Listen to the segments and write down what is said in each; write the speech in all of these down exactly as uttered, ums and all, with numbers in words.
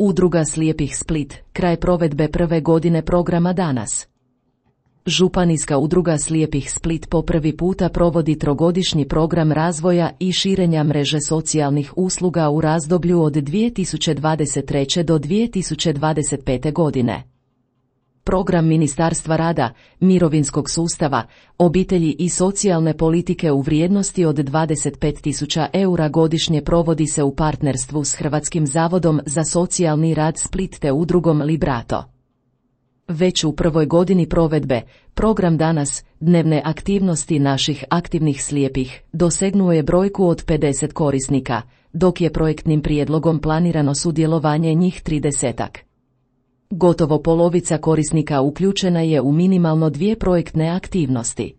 Udruga slijepih Split, kraj provedbe prve godine programa danas. Županijska udruga slijepih Split po prvi puta provodi trogodišnji program razvoja i širenja mreže socijalnih usluga u razdoblju od dvije tisuće dvadeset treće do dvije tisuće dvadeset pete godine. Program Ministarstva rada, mirovinskog sustava, obitelji i socijalne politike u vrijednosti od dvadeset pet tisuća eura godišnje provodi se u partnerstvu s Hrvatskim zavodom za socijalni rad Split te udrugom Librato. Već u prvoj godini provedbe, program danas, dnevne aktivnosti naših aktivnih slijepih, dosegnuo je brojku od pedeset korisnika, dok je projektnim prijedlogom planirano sudjelovanje njih tridesetak. Gotovo polovica korisnika uključena je u minimalno dvije projektne aktivnosti.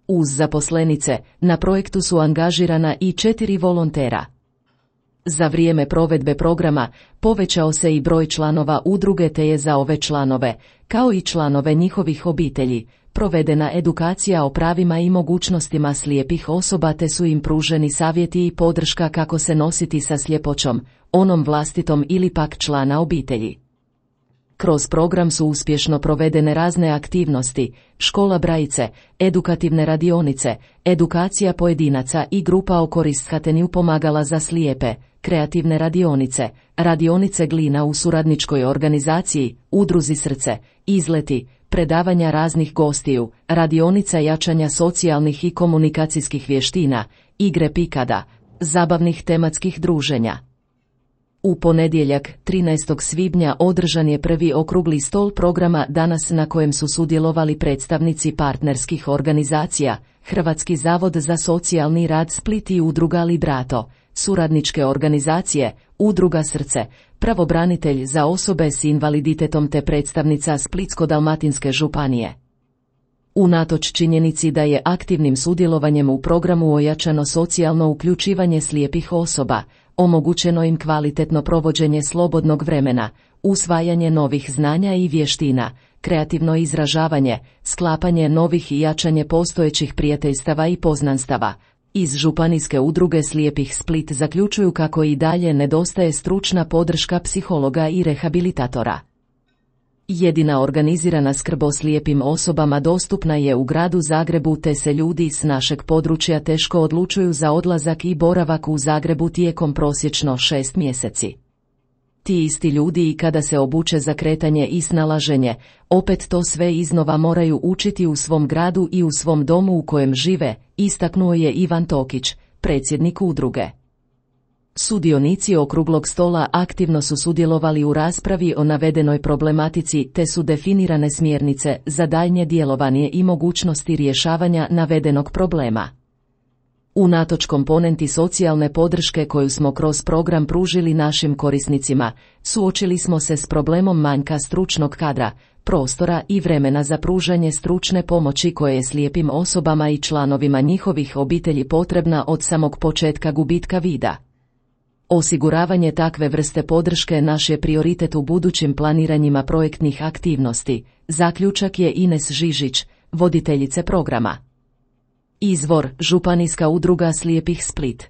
Uz zaposlenice, na projektu su angažirana i četiri volontera. Za vrijeme provedbe programa povećao se i broj članova udruge te je za ove članove, kao i članove njihovih obitelji, provedena edukacija o pravima i mogućnostima slijepih osoba te su im pruženi savjeti i podrška kako se nositi sa sljepoćom, onom vlastitom ili pak člana obitelji. Kroz program su uspješno provedene razne aktivnosti, škola Brajice, edukativne radionice, edukacija pojedinaca i grupa o koristhatenju pomagala za slijepe, kreativne radionice, radionice Glina u suradničkoj organizaciji, udruzi Srce, izleti, predavanja raznih gostiju, radionica jačanja socijalnih i komunikacijskih vještina, igre pikada, zabavnih tematskih druženja. U ponedjeljak, trinaestog svibnja, održan je prvi okrugli stol programa danas na kojem su sudjelovali predstavnici partnerskih organizacija, Hrvatski zavod za socijalni rad Split i udruga Librato, suradničke organizacije, udruga Srce, pravobranitelj za osobe s invaliditetom te predstavnica Splitsko-dalmatinske županije. Unatoč činjenici da je aktivnim sudjelovanjem u programu ojačano socijalno uključivanje slijepih osoba, omogućeno im kvalitetno provođenje slobodnog vremena, usvajanje novih znanja i vještina, kreativno izražavanje, sklapanje novih i jačanje postojećih prijateljstava i poznanstava. Iz Županijske udruge slijepih Split zaključuju kako i dalje nedostaje stručna podrška psihologa i rehabilitatora. Jedina organizirana skrb o slijepim osobama dostupna je u gradu Zagrebu te se ljudi s našeg područja teško odlučuju za odlazak i boravak u Zagrebu tijekom prosječno šest mjeseci. Ti isti ljudi i kada se obuče za kretanje i snalaženje, opet to sve iznova moraju učiti u svom gradu i u svom domu u kojem žive, istaknuo je Ivan Tokić, predsjednik udruge. Sudionici okruglog stola aktivno su sudjelovali u raspravi o navedenoj problematici te su definirane smjernice za daljnje djelovanje i mogućnosti rješavanja navedenog problema. Unatoč komponenti socijalne podrške koju smo kroz program pružili našim korisnicima, suočili smo se s problemom manjka stručnog kadra, prostora i vremena za pružanje stručne pomoći koje je slijepim osobama i članovima njihovih obitelji potrebna od samog početka gubitka vida. Osiguravanje takve vrste podrške naš je prioritet u budućim planiranjima projektnih aktivnosti, zaključak je Ines Žižić, voditeljice programa. Izvor: Županijska udruga slijepih Split.